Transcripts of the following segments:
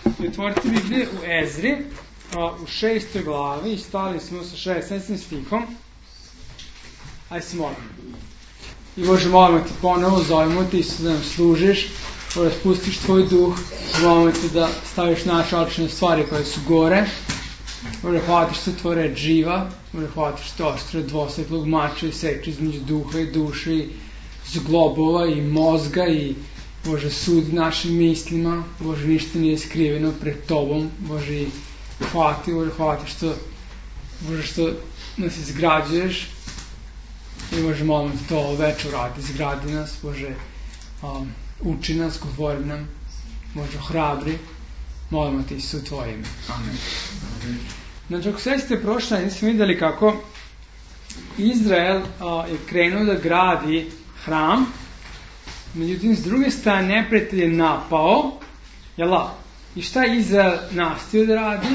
I otvorite Biblije u Ezri, u 6. glavi, i stali smo sa 16. stihom. Ajde se molimo. I Bože, molimo te ponovo, zovemo te, Isus, da nam služiš, da spustiš tvoj duh, molimo te da staviš naše oči na stvari koje su gore. Bože, hvala ti što je tvoja reč živa, Bože, hvala ti što je oštre dvosvetlog mača i seče između duha i duše, i zglobova i mozga, i Bože, sudi našim mislima. Bože, ništa nije skriveno pred tobom. Bože, i hvala ti, Bože, hvala ti što nas izgrađuješ. I Bože, molim te to večer uradi, izgradi nas, Bože, uči nas, govori nam, Bože, hrabri, molimo te Isus u tvoje ime. Amen. Znači, ako sve ste prošli, nismo vidjeli kako Izrael je krenuo da gradi hram, međutim, s druge strane, neprijatelj je napao, i šta je Izrael nastavio da radi?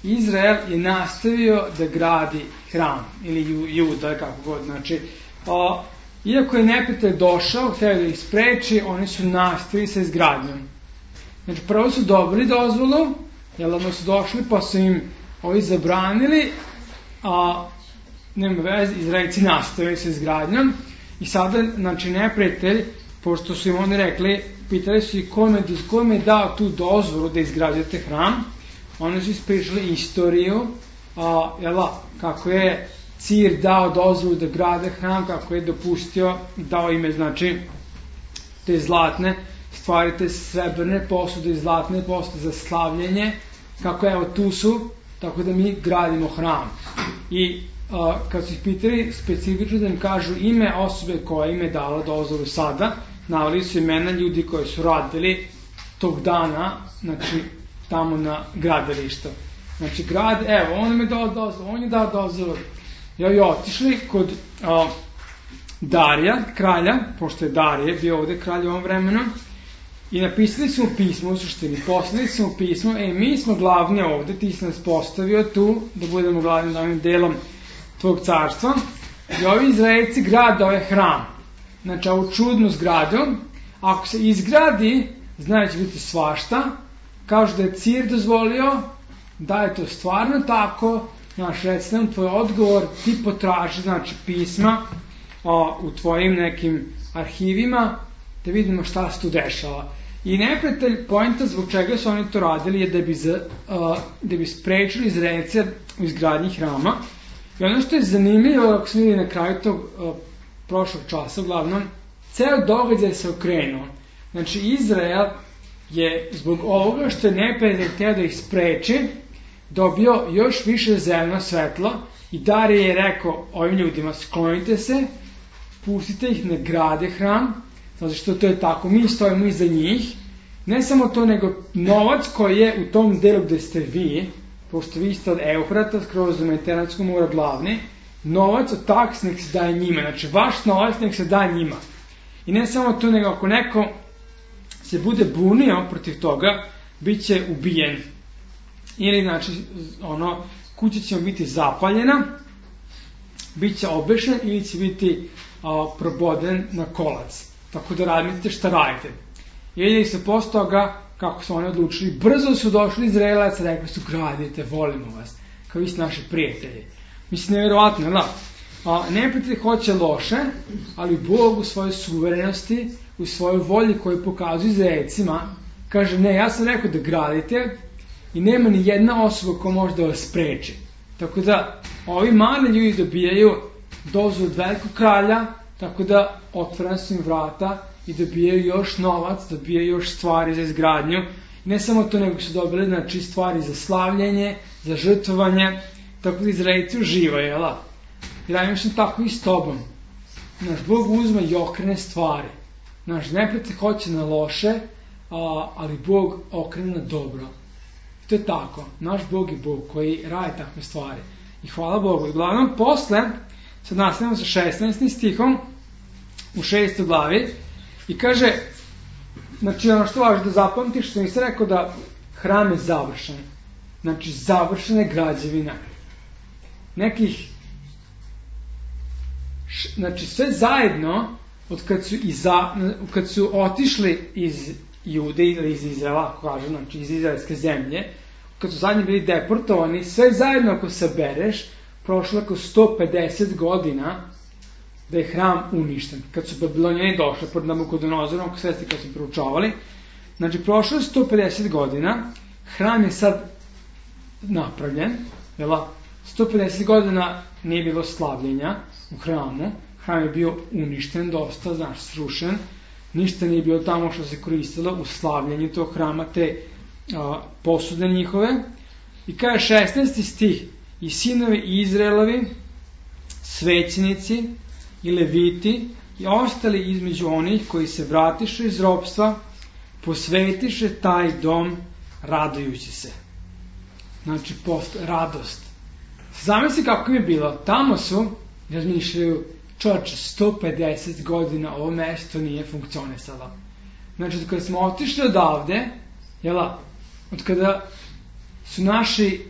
Izrael je nastavio da gradi hram, ili Juda, kako god, znači, iako je neprijatelj došao, htio da ih spreči, oni su nastavili sa izgradnjom. Znači, prvo su dobili dozvolu, ono su došli, pa su im ovi zabranili, nema veze, Izraelci nastavili sa izgradnjom, i sada, znači, neprijatelj, pošto su im oni rekli, pitali su i kome je dao tu dozvolu da izgrađujete hram, oni su ispričali istoriju, kako je Cir dao dozvolu da grade hram, kako je dopustio, dao ime, znači, te zlatne stvari, te srebrne posude i zlatne posude za slavljenje, kako evo tu su, tako da mi gradimo hram. I kad su ih pitali specifično da im kažu ime osobe koja im je dala dozvolu sada, naveli su imena ljudi koji su radili tog dana, znači, tamo na gradilištu. Znači, on im je dao dozvolu, on je dao dozvolu. I otišli kod Darija, kralja, pošto je Darije bio ovde kralj u ovom vremenu, i napisali su mu pismo, u suštini, poslali su mu pismo, mi smo glavni ovde, ti si nas postavio tu, da budemo glavni na ovim delom tvog carstva, i ovi Izraelci grade ovaj hram. Znači, ovu čudnu zgradu, ako se izgradi, znači će biti svašta, kažu da je Cir dozvolio, da je to stvarno tako, znači, reci nam tvoj odgovor, ti potraži, znači, pisma u tvojim nekim arhivima, da vidimo šta se tu dešava. I neprijatelj, poenta zbog čega su oni to radili je da bi sprečili Izraelce u izgradnji hrama. I ono što je zanimljivo, ako smo vidjeli na kraju tog prošlog časa, uglavnom, ceo događaj se okrenuo. Znači, Izrael je zbog ovoga što je neprijatelj hteo da ih spreči, dobio još više zeleno svetlo, i Darije je rekao ovim ljudima, sklonite se, pustite ih na grade hram, zato što to je tako, mi stojimo iza njih, ne samo to, nego novac koji je u tom delu gde ste vi, pošto vi ste od Eufrata, skroz do Mediteranskog mora glavni, novac od taks nek se daje njima, znači vaš novac nek se daje njima. I ne samo to, nego ako neko se bude bunio protiv toga, bit će ubijen. Ili, znači, kuća će mu biti zapaljena, bit će obešen ili će biti proboden na kolac. Tako da radite šta radite. I se posle toga, kako su oni odlučili, brzo su došli Izraelac, rekli su, gradite, volimo vas, kao vi ste naši prijatelji. Mislim, nevjerovatno, da? Neprijatelj hoće loše, ali Bog u svojoj suverenosti, u svojoj volji koju pokazuje Izraelcima, kaže, ne, ja sam rekao da gradite i nema ni jedna osoba koja može da vas spreči. Tako da, ovi mali ljudi dobijaju dozvolu od velikog kralja, tako da otvorena su im vrata i dobijaju još novac, dobijaju još stvari za izgradnju. I ne samo to, nego su dobili, znači, stvari za slavljenje, za žrtvovanje, tako da Izraelci uživaju, jel? I radim što tako i s tobom. Naš Bog uzme i okrene stvari. Naš neprijatelj hoće na loše, ali Bog okrene na dobro. To je tako. Naš Bog je Bog koji radi takve stvari. I hvala Bogu. I uglavnom, posle, sad nastavimo sa 16. stihom u 6. glavi, i kaže, znači, ono što važi da zapamtiš, što nisam rekao da hram je završen. Znači, završena je građevina. Nekih, znači, sve zajedno, kad su otišli iz Jude ili iz Izraela, ako kažem, znači iz izraelske zemlje, kad su zadnji bili deportovani, sve zajedno ako sabereš, prošlo oko 150 godina da je hram uništen. Kad su Babilonjani došli pod Nabukodonozorom, ako svesti kad su proučavali, znači prošlo je 150 godina, hram je sad napravljen, 150 godina nije bilo slavljenja u hramu, hram je bio uništen dosta, srušen, ništa nije bilo tamo što se koristilo u slavljenju tog hrama, te posude njihove. I kaže 16. stih, i sinovi Izraelovi, svećenici i leviti i ostali između onih koji se vratiše iz ropstva, posvetiše taj dom radujući se. Znači, radost. Zamisli kako je bilo. Tamo su, razmišljaju, čovječe, 150 godina ovo mesto nije funkcionisalo. Znači, kada smo otišli odavde, od kada su naši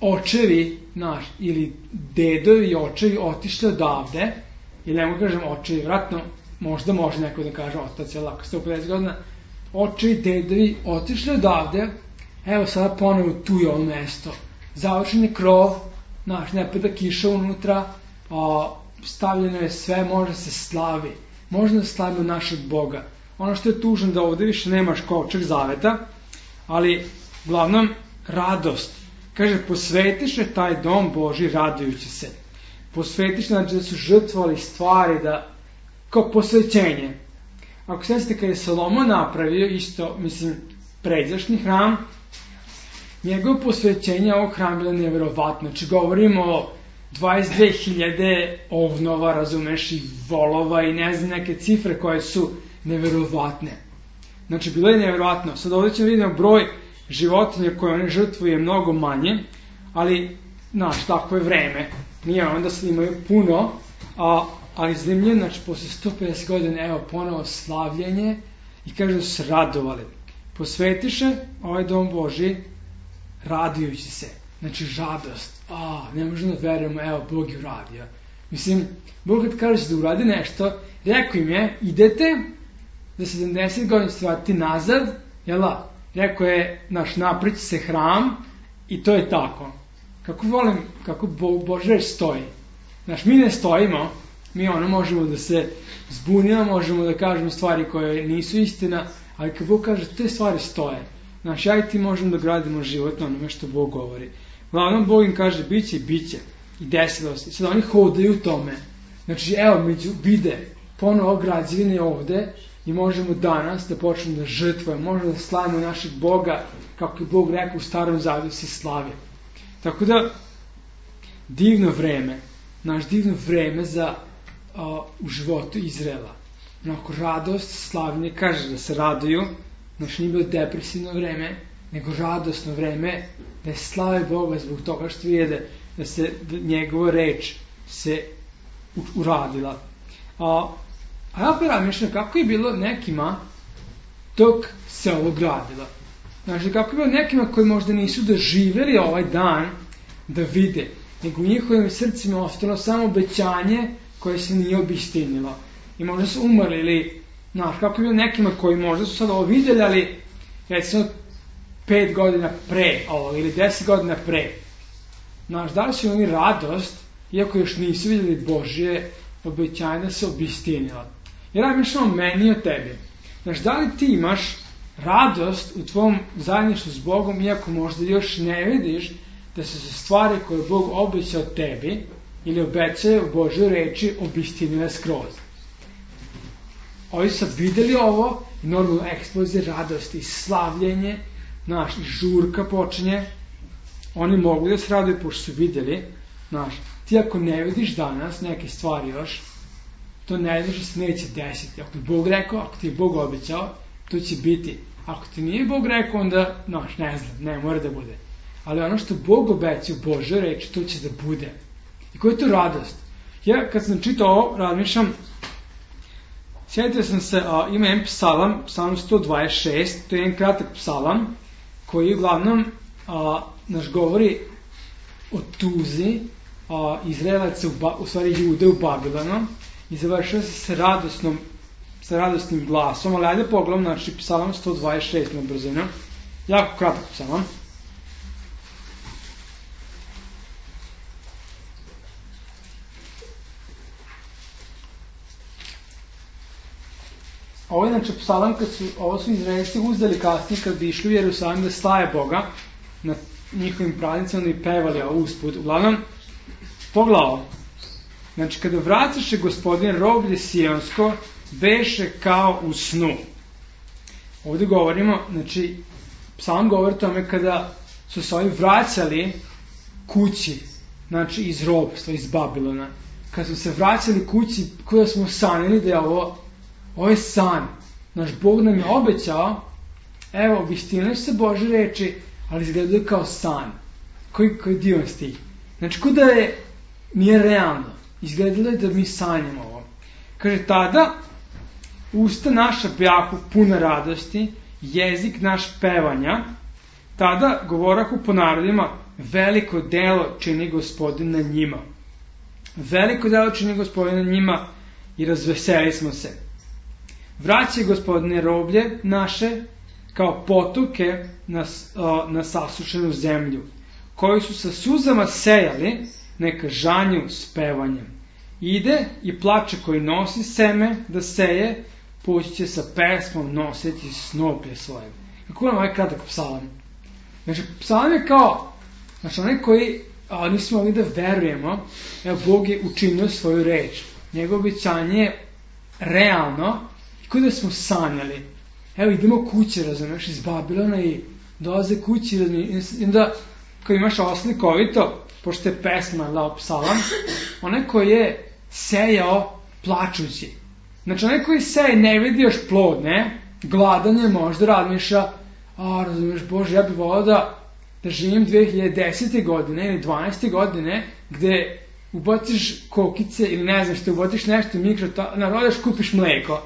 očevi, ili dedovi i očevi otišli odavde, ili ne mogu kažem očevi, vratno, možda može neko da kaže otac, 150 godina, očevi, dedovi otišli odavde, evo sada ponovo tu je ovo mesto. Završen je krov, ne pada kiša unutra, stavljeno je sve, može se slavi. Možda da slavimo našeg Boga. Ono što je tužno da ovde više nemaš kovčeg zaveta, ali uglavnom radost. Kaže, posvetiše taj dom Božji radujući se. Posvetiše, znači da su žrtvovali stvari, kao posvećenje. Ako sjećate kada je Salomon napravio isto, pređašnji hram, njegovo posvećenje ovog hrama bilo nevjerovatno. Znači govorimo o 22.000 ovnova, razumeš, i volova i ne znam neke cifre koje su nevjerovatne. Znači bilo je nevjerovatno. Sad ovdje ćemo vidjeti broj životinja koje one žrtvuju je mnogo manje, ali, tako je vreme. Nije onda se imaju puno, ali zanimljivo, znači posle 150 godina, evo ponovo slavljenje i kaže da su se radovali. Posvetiše ovaj dom Božji radujući se. Znači žadost. Ne možemo da verujemo, evo Bog je uradio. Bog kad kaže da uradi nešto, rekao im je, idete za 70 godina se vratiti nazad, rekao je, napriči se hram i to je tako. Kako volim, kako Božja reč stoji. Mi ne stojimo, mi možemo da se zbunimo, možemo da kažemo stvari koje nisu istina, ali kad Bog kaže, te stvari stoje. Ja i ti možemo da gradimo život na onome što Bog govori. Uglavnom, Bog im kaže, biće i biće. I desilo se. Sad oni hodaju u tome. Znači, evo, vide ponovo građevine ovde i možemo danas da počnemo da žrtvujemo, možemo da slavimo našeg Boga, kako je Bog rekao u Starom Zavetu se slavi. Tako da, divno vreme, divno vreme u životu Izraela. Radost, slavljenje, kaže da se raduju, nije bilo depresivno vreme, nego radosno vreme, da je slave Boga zbog toga što vide da se njegova reč se uradila. A ja opet razmišljam kako je bilo nekima dok se ovo gradilo. Znači, kako je bilo nekima koji možda nisu doživjeli ovaj dan da vide, nego u njihovim srcima ostalo samo obećanje koje se nije obistinilo. I možda su umrli ili, kako je bilo nekima koji možda su sad ovo vidjeli, ali recimo 5 godina pre ovo ili 10 godina pre. Da li su oni radost, iako još nisu vidjeli Božje obećanje da se obistinilo. Jer razmišljam o meni i o tebi. Da li ti imaš radost u tvom zajedništvu s Bogom, iako možda još ne vidiš da su se stvari koje Bog obećao tebi ili obećaje u Božoj reči obistinile skroz. Ovi su vidjeli ovo i normalno eksplozija radosti, slavljenje, žurka počinje. Oni mogu da se raduju pošto su vidjeli. Ti ako ne vidiš danas neke stvari još, to ne znaš da se neće desiti. Ako ti Bog rekao, ako ti je Bog obećao, to će biti. Ako ti nije Bog rekao, onda, ne znam, ne mora da bude. Ali ono što Bog obećao u Božoj reči, to će da bude. I koja je to radost? Ja kad sam čitao ovo, razmišljam, sjetio sam se, ima jedan psalam, psalam 126, to je jedan kratak psalam, koji uglavnom govori o tuzi Izraelaca, u stvari Jude u Babilonu, i završava se s radosnom sa radosnim glasom, ali ajde pogledam, znači psalam 126 na brzinu, jako kratak psalam. Ovo je znači psalam ovo su Izraelci uzeli kasnije kad bi išli u Jerusalim da slave Boga na njihovim praznicima da bi pevali usput. Uglavnom, pogledaj, znači kada vracaše Gospodin roblje Sionsko, beše kao u snu. Ovdje govorimo, znači psalam govori o tome kada su se ovi vraćali kući, znači iz robstva, iz Babilona. Kad su se vraćali kući, kada smo sanjali da je ovo je san. Naš Bog nam je obećao, evo, obistinili se Bože reči, ali izgledaju kao san. Koji divan stih. Znači, kuda nije realno. Izgledalo je da mi sanjamo ovo. Kaže, tada usta naša bjahu puna radosti, jezik naš pevanja, tada govorahu po narodima, veliko delo čini Gospodin na njima. Veliko delo čini Gospodin na njima i razveseli smo se. Vraćaj, Gospodine, roblje naše kao potoke na sasušenu zemlju, koji su sa suzama sejali, neka žanju s pevanjem. Ide i plače koji nosi seme da seje, poći će sa pesmom nositi snoplje svoje. Kako nam ovaj kratak psalam? Znači, psalam je kao, znači onaj koji nismo mogli da verujemo, evo, Bog je učinio svoju reč. Njegovo obećanje je realno, i kod da smo sanjali. Evo, idemo kuće, razumiješ, iz Babilona i dolaze kući, razumiješ, i onda, kao imaš ovo slikovito, pošto je pesma, psalam, onaj koji je sejao plačući. Znači, onaj koji seje ne vidi još plod, ne? Gladan je, možda razmišlja, razumiješ, Bože, ja bih volao da živim 2010. godine ili 12. godine, gde ubaciš kokice ili ne znam što, ubaciš nešto u mikro, narodaš, kupiš mleko,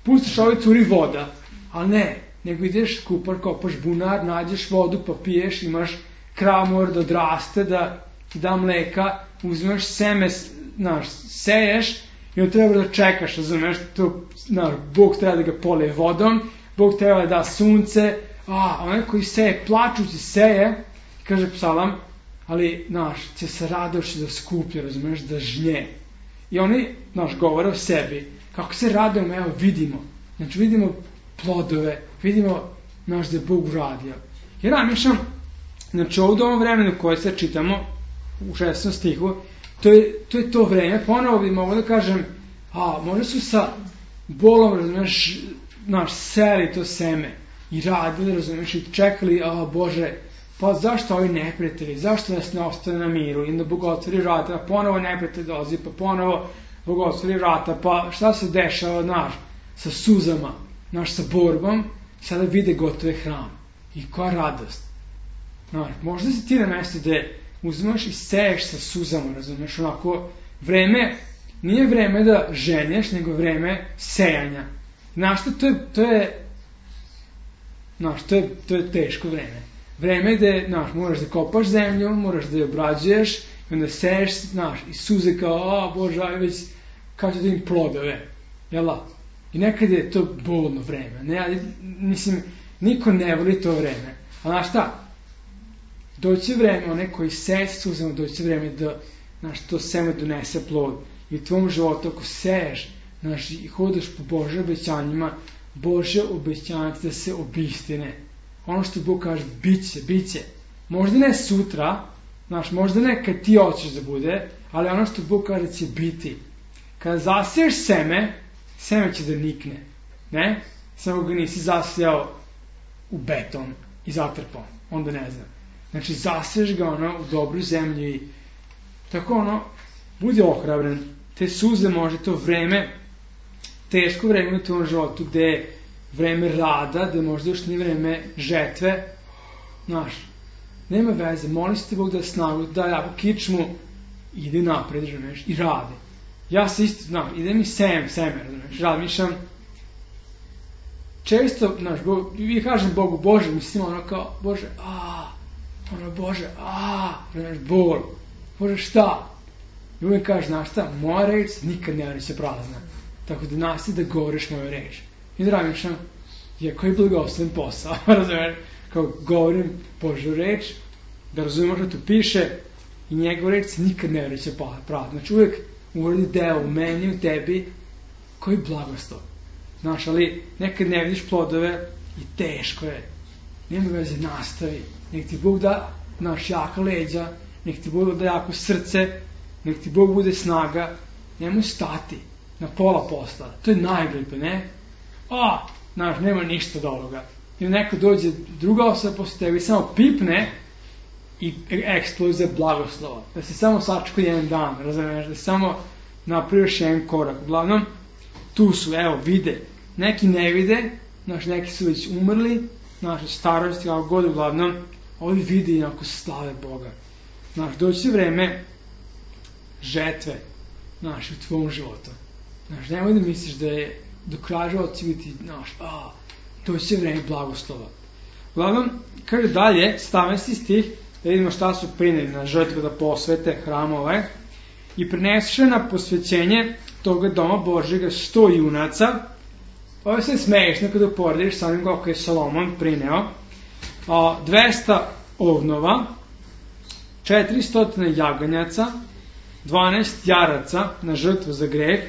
pustiš ovaj curi voda, ali ne, nego ideš kupar, kopaš bunar, nađeš vodu, pa piješ, imaš krav mora da odraste, da ti da mleka, uzmeš seme, seješ i on treba da čekaš, razumeš, Bog treba da ga polije vodom, Bog treba da da sunce, onaj koji seje, plačući seje, kaže psalam, ali, će se radoši da skuplje, razumeš, da žnje. I oni, govore o sebi, kako se radujemo, evo, vidimo. Znači, vidimo plodove, vidimo, da je Bog uradio. I razmišljam, znači, ovdje u ovom vremenu koje se čitamo, u 16. stihu, to je to vreme, ponovo bi mogo da kažem, možda su sa bolom, razumeš, seli to seme i radili, razumeš, i čekali, Bože, pa zašto ovi neprijatelji, zašto nas ne ostane na miru, i onda Bog otvori vrata, ponovo neprijatelj dolazi, pa ponovo Bog otvori vrata, pa šta se dešava, sa suzama, sa borbom, sada vide gotove hram. I koja radost. Možda si ti na mjestu gde uzmeš i seješ sa suzama, razumeš, onako, vreme, nije vreme da ženješ, nego vreme sejanja. Znaš što, to je teško vreme. Vreme gde, moraš da kopaš zemlju, moraš da je obrađuješ, i onda seješ, i suze kao, Bože, već, kao će da im plodove, jela? I nekad je to bolno vreme, niko ne voli to vreme. A znaš šta? Doći vreme, onaj koji seje sa suzama, doći vreme da, to seme donese plod. I u tvom životu, ako seješ, i hodaš po Bože obećanjima, Bože obećanje da se obistine. Ono što Bog kaže, bit će. Možda ne sutra, možda ne kad ti hoćeš da bude, ali ono što Bog kaže će biti. Kada zasiješ seme će da nikne. Ne? Samo ga nisi zasijao u beton i zatrpao. Onda ne znam. Znači, zasiješ ga u dobru zemlju i tako budi ohrabren. Te suze može to vreme, teško vreme u tom životu, gde je vreme rada, gde možda još nije vreme žetve. Nema veze, moli se ti Bog da snagu, da jako kičmu, ide napred, i radi. Ja se isto, idem i seme, razmišljam. Često, vi kažem Bogu, Bože, mislim kao, Bože, Bože, bol, Bože, šta? I uvijek kaže, šta, moja reč nikad ne reće prazna. tako da nastavi da govoriš moju reč. I da razmišljam, koji blagosloven posao, razumiješ, kao govorim Božju reč, da razumiješ što tu piše i njegov reč se nikad ne vreće pravda. Znači uvijek uradi deo u meni, u tebi, koji blagoslov. Znaš, ali nekad ne vidiš plodove i teško je. Nema veze, nastavi. Nek ti Bog da jaka leđa, nek ti Bog da jako srce, nek ti Bog bude snaga. Nemoj stati na pola posla. To je najglepe, ne? Znaš, nema ništa od ovoga. I neko dođe, druga osoba posle tebi samo pipne i eksplozija blagoslova. Da se samo sačeka jedan dan, razumiješ, da se samo napraviš jedan korak. Uglavnom, tu su, vide. Neki ne vide, znaš, neki su već umrli, naše starosti, kako god, uglavnom, ovi vide i onako slave Boga. Znaš, doći vreme žetve, znaš, u tvom životu. Znaš, nemoj da misliš da je do kraja života će biti, znaš, doći vreme blagoslova. Uglavnom, kaže dalje, 17. stih, da vidimo šta su prineli na žrtvu da posvete hramove, i prinesuše na posvećenje toga doma Božjega 100 junaca. Ovo se smeješno kada uporediš sa onim kako je Solomon prineo. 200 ovnova, 400 jaganjaca, 12 jaraca na žrtvu za greh,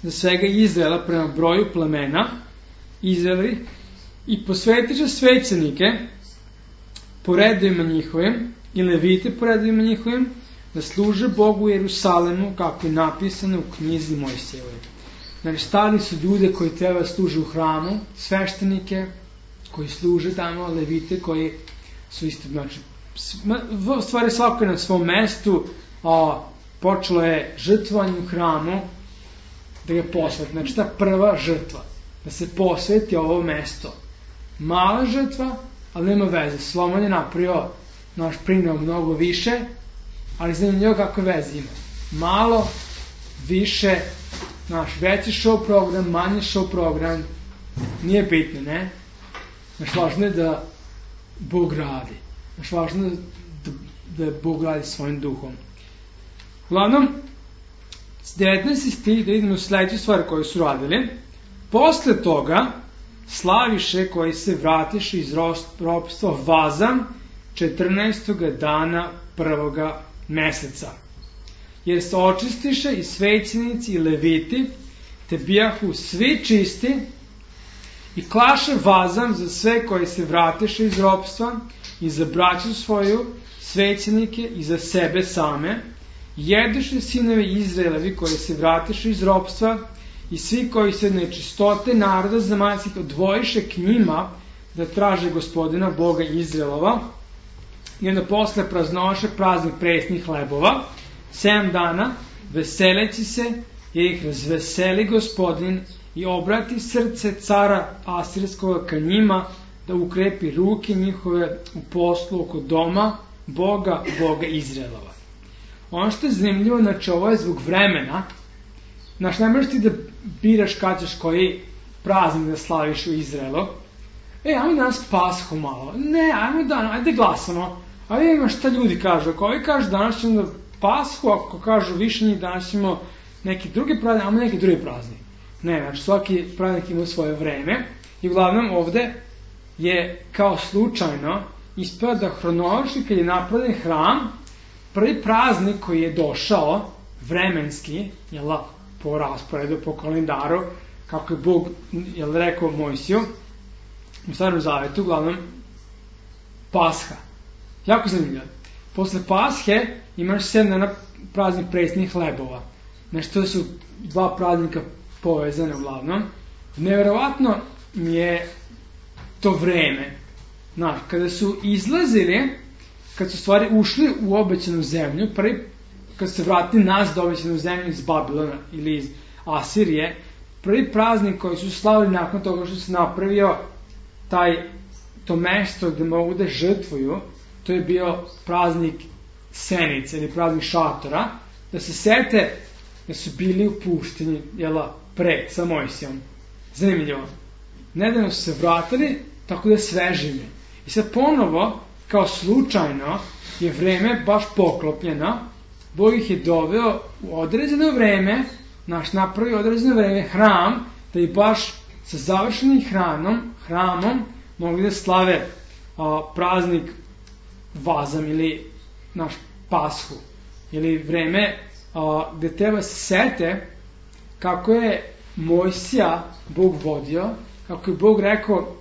za svega Izraela prema broju plemena Izraeli, i posvetiše svećenike po redovima njihovim i levite po redovima njihovim, da služe Bogu u Jerusalemu, kako je napisano u knjizi Mojsijevoj. Znači, stali su ljude koji treba da služe u hramu, sveštenike koji služe tamo, levite koji su isto, znači, stvari svako je na svom mestu, počelo je žrtvovanje u hramu, da ga posveti. Znači, ta prva žrtva, da se posveti ovo mesto. Mala žrtva, ali nema veze. Solomon je napravio, prineo mnogo više, ali zanimljivo kakve veze ima. Malo, više, veći show program, manji show program, nije bitno, ne? Važno je da Bog radi. Važno je da Bog radi svojim duhom. Uglavnom, 19. stih, da idemo u sledeću stvar koju su radili. Posle toga, slaviše koji se vratiše iz ropstva vazam 14. dana prvoga meseca. Jer se očistiše i svećenici i leviti, te bijahu svi čisti, i klaše vazam za sve koji se vratiše iz ropstva i za braću svoju, svećenike i za sebe same, jeduše sinovi Izraelevi koji se vratiše iz ropstva i svi koji se od nečistote naroda zemaljskih odvojiše k njima da traže Gospodina Boga Izraelova, i onda posle praznoše praznik presnih hlebova 7 dana, veseleći se, jer ih razveseli Gospodin i obrati srce cara Asirskoga ka njima, da ukrepi ruke njihove u poslu oko doma Boga Izraelova. Ono što je zanimljivo, znači ovo je zbog vremena. Znaš, ne možeš ti da biraš kad ćeš koji praznik da slaviš u Izraelu. Ajmo danas Pashu malo. Ne, ajde glasamo. A vidimo šta ljudi kažu. Ako ovi kažu danas ćemo da Pashu, ako kažu više njih danas ćemo neki drugi praznik, ajmo neki drugi praznik. Ne, znači svaki praznik ima svoje vreme. I uglavnom ovde je kao slučajno ispada da hronološki kad je napravljen hram, prvi praznik koji je došao vremenski, po rasporedu, po kalendaru, kako je Bog rekao Mojsiju u Starom Zavetu, uglavnom Pasha. Jako zanimljivo. Posle Pashe imaš 7 dana praznik presnih hlebova. Znači, to su 2 praznika povezane uglavnom. Neverovatno mi je to vreme. Znaš, kada su izlazili, kad su stvari ušli u obećanu zemlju, kad su se vratili nazad u obećanu zemlju iz Babilona ili iz Asirije, prvi praznik koji su slavili nakon toga što se napravio to mesto gde mogu da žrtvuju, to je bio praznik Senice ili praznik šatora, da se sete da su bili u puštenji, sa Mojsijom. Zanimljivo. Nedavno su se vratili, tako da svežime. I sad ponovo, kao slučajno, je vreme baš poklopljeno. Bog ih je doveo u određeno vreme napravi određeno vreme hram, da i baš sa završenim hramom mogli da slave praznik Vazam ili naš Pashu, ili vreme gde treba se sete kako je Mojsija Bog vodio, kako je Bog rekao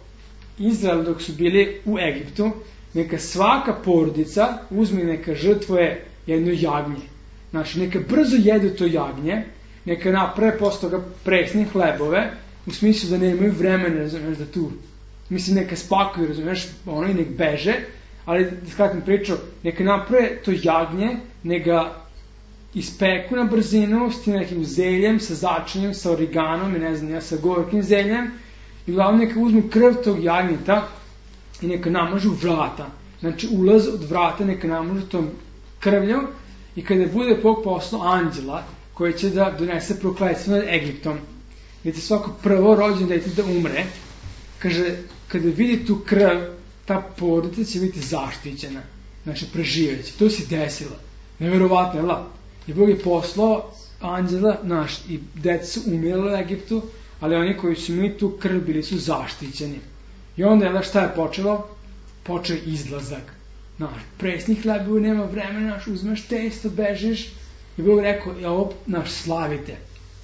Izrael dok su bili u Egiptu, neka svaka porodica uzme, neka žrtvuje jedno jagnje. Znači, neka brzo jedu to jagnje, neka naprave posle toga presne hlebove, u smislu da nemaju vremena, razumeš, da tu, mislim, neka spakuju, razumeš, ono i nek beže, ali, da skratim priču, neka naprave to jagnje, neka ispeku na brzinu s tim nekim zeljem, sa začinjem, sa origanom i ne znam, sa gorkim zeljem, i uglavnom neka uzmu krv tog jagnjeta i neka namažu vrata. Znači, ulaz od vrata neka namažu tom krvlju i kada bude Bog poslao anđela koji će da donese prokletstvo nad Egiptom, gdje će svako prvo rođeno dete da umre, kaže, kada vidi tu krv, ta porodica će biti zaštićena. Znači, preživeće. To se desilo. Neverovatno, jel da? I Bog je poslao anđela naš i deca su umirala u Egiptu, ali oni koji su imali tu krv bili su zaštićeni. I onda, jel da, šta je počelo? Počeo izlazak. Naš, presni hlebovi, nema vremena, naš, uzmeš testo, bežiš. I Bog rekao, ovo, naš, slavite.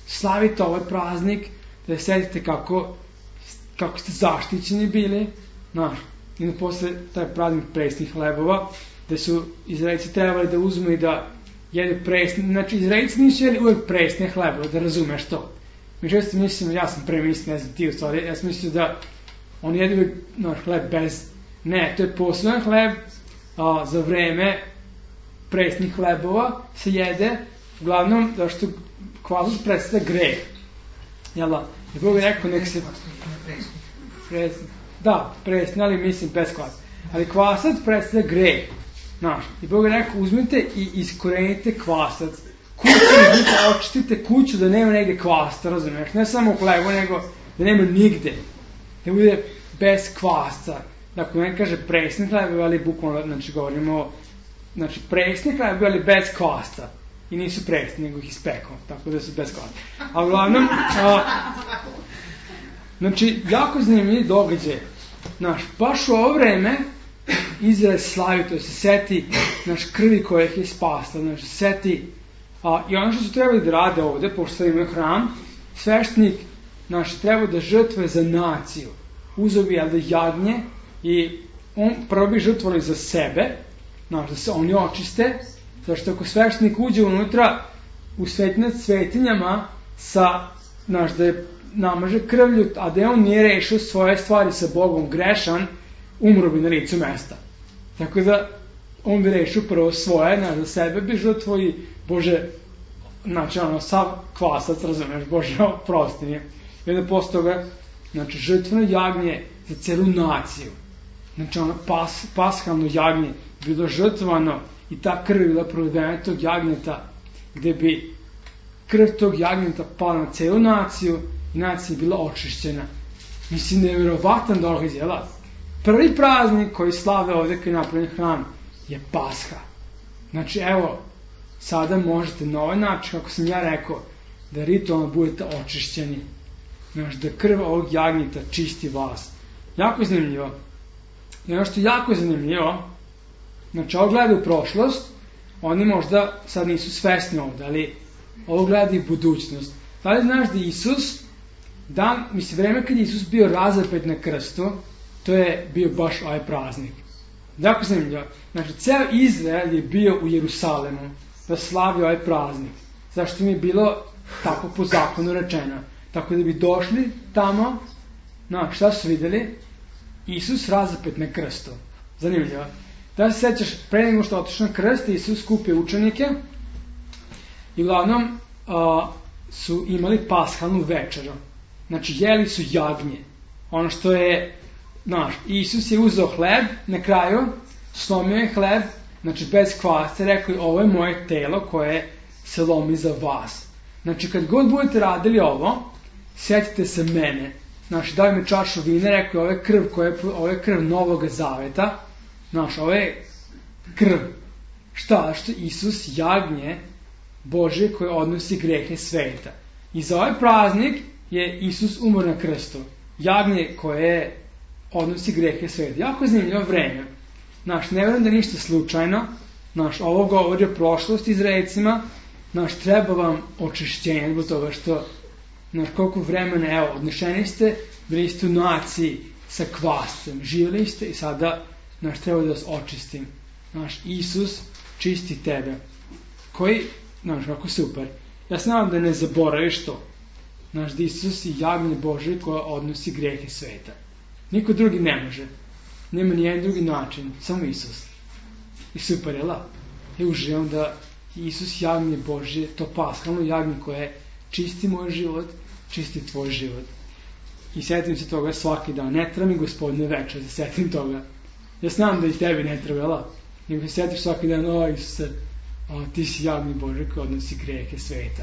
Slavite ovaj praznik, da sedite kako ste zaštićeni bili. Naš, i na posle taj praznik presnih hlebova, gde su Izraelci trebali da uzmu i da jedu presni, znači Izraelci nisu jeli uvek presne hlebove, da razumeš to. Mi često mislim, ja sam pre mislio, ne znam ti u stvari, ja sam mislio da oni jedu uvek hleb bez, ne, to je poseban hleb za vreme presnih hlebova se jede, uglavnom, da što kvasac predstavlja greh. Jel da? I Bog je rekao, nek se... Da, presni, ali mislim bez kvasa. Ali kvasac predstavlja greh. Znaš, i Bog je rekao, uzmite i iskorenite kvasac. Kuću, uzmite, očistite kuću da nema negde kvasta, razumiješ? Ne samo u hlebu, nego da nema nigde. Da bude bez kvasca. Dakle, ne kaže presni hlebovi, ali bukvalno, znači, govorimo, znači, presni hlebovi, ali bez kvasca. I nisu presni, nego ih ispekao, tako da su bez kvasca. A uglavnom, znači, jako zanimljiv događaj. Znaš, baš u ovo vreme Izrael slavi, to se seti naš krvi koja ih je spasla, znači seti i ono što su trebali da rade ovde, pošto imaju hram, sveštenik naš treba da žrtvuje za naciju, uzeo bi da jagnje i on prvo bi žrtvovali za sebe, znaš, da se oni očiste, zašto ako sveštenik uđe unutra u svetinjama znaš, da je namaže krvlju, a da je on nije rešio svoje stvari sa Bogom grešan, umro bi na licu mesta. Tako da, on bi rešio prvo svoje, za sebe bi žrtvo i Bože, znači sav kvasac, razumeš, Bože, oprosti mi. I onda posle toga, znači, žrtveno jagnje za celu naciju. Znači, pashalno jagnje bilo žrtvovano i ta krv je bila provedena tog jagnjeta, gde bi krv tog jagnjeta pala na celu naciju i nacija je bila očišćena. Mislim, nevjerovatan događaj, jel? Prvi praznik koji slave ovde koji je napravljen hram je Pasha. Znači, evo, sada možete na ovaj način, kako sam ja rekao, da ritualno budete očišćeni. Znači, da krv ovog jagnjeta čisti vas. Jako je zanimljivo. I ono što je jako zanimljivo, znači, ovo gleda u prošlost, oni možda sad nisu svesni ovde, ali ovo gleda i budućnost. Da li znaš da Isus, vreme kad je Isus bio razapet na krstu, to je bio baš ovaj praznik. Jako zanimljivo. Znači, ceo Izrael je bio u Jerusalemu da slavi ovaj praznik. Zašto mi je bilo tako po zakonu rečeno. Tako da bi došli tamo, šta su videli? Isus razapet na krstu. Zanimljivo. Da se sećaš, pre nego što otišao na krst, Isus skupio učenike i uglavnom su imali pashalnu večeru. Znači, jeli su jagnje. Ono što je, Isus je uzeo hleb na kraju, slomio je hleb, znači bez kvasca, rekao je, ovo je moje telo koje se lomi za vas. Znači, kad god budete radili ovo, setite se mene. Znači, daj mi čašu vina, rekao je, ovo je krv Novog Zaveta. Znači, ovo je krv. Šta? Što Isus jagnje Božje koje odnosi grehe sveta. I za ovaj praznik je Isus umro na krstu. Jagnje koje odnosi grehe sveta. Jako zanimljivo vreme. Ne verujem da ništa slučajno. Ovo govori o prošlosti Izraelcima. Treba vam očišćenje zbog toga što koliko vremena, odnešeni ste, bili ste u naciji sa kvascem, živjeli ste i sada treba da vas očistim. Isus čisti tebe. Koji, kako super. Ja se nadam da ne zaboraviš to. Da Isus je jagnje Božje koja odnosi grehe sveta. Niko drugi ne može. Nema nijedan drugi način, samo Isus. I super, je la? Ja uživam da Isus jagnje Božje, to paskalno jagnje koje čisti moj život, čisti tvoj život. I setim se toga svaki dan. Ne treba mi Gospodine večer, da setim toga. Ja znam da i tebi ne treba, jel? Nego se setiš svaki dan, Isuse, ti si jagnje Božje koji odnosi grehe sveta.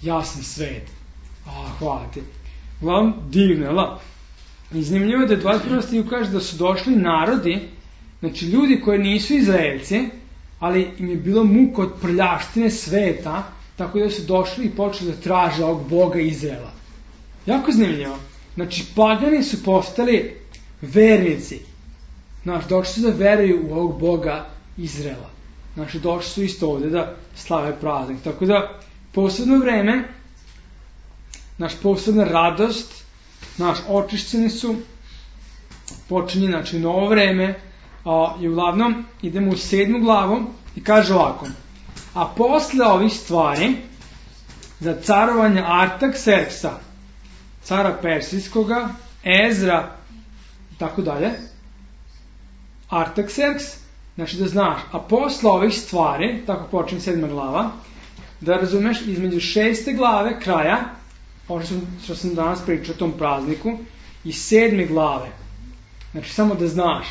Ja sam svet. Hvala ti. Uglavnom, divno, jel? I zanimljivo je da 21. stihu kaže da su došli narodi, ljudi koji nisu Izraelci, ali im je bilo muka od prljavštine sveta, tako da su došli i počeli da traže ovog Boga Izraela. Jako zanimljivo. Pagani su postali vernici. Došli su da veruju u ovog Boga Izraela. Došli su isto ovde da slave praznik. Tako da, posebno vreme, posebna radost, očišćeni su, počinje, novo vreme, i uglavnom idemo u 7. glavu i kaže ovako: a posle ovih stvari, za carovanja Artakserksa, cara Persijskoga, Ezra, i tako dalje, Artakserks, da znaš, a posle ovih stvari, tako počinje 7. glava, da razumeš, između 6. glave kraja, ovo što sam danas pričao o tom prazniku, i 7. glave, samo da znaš,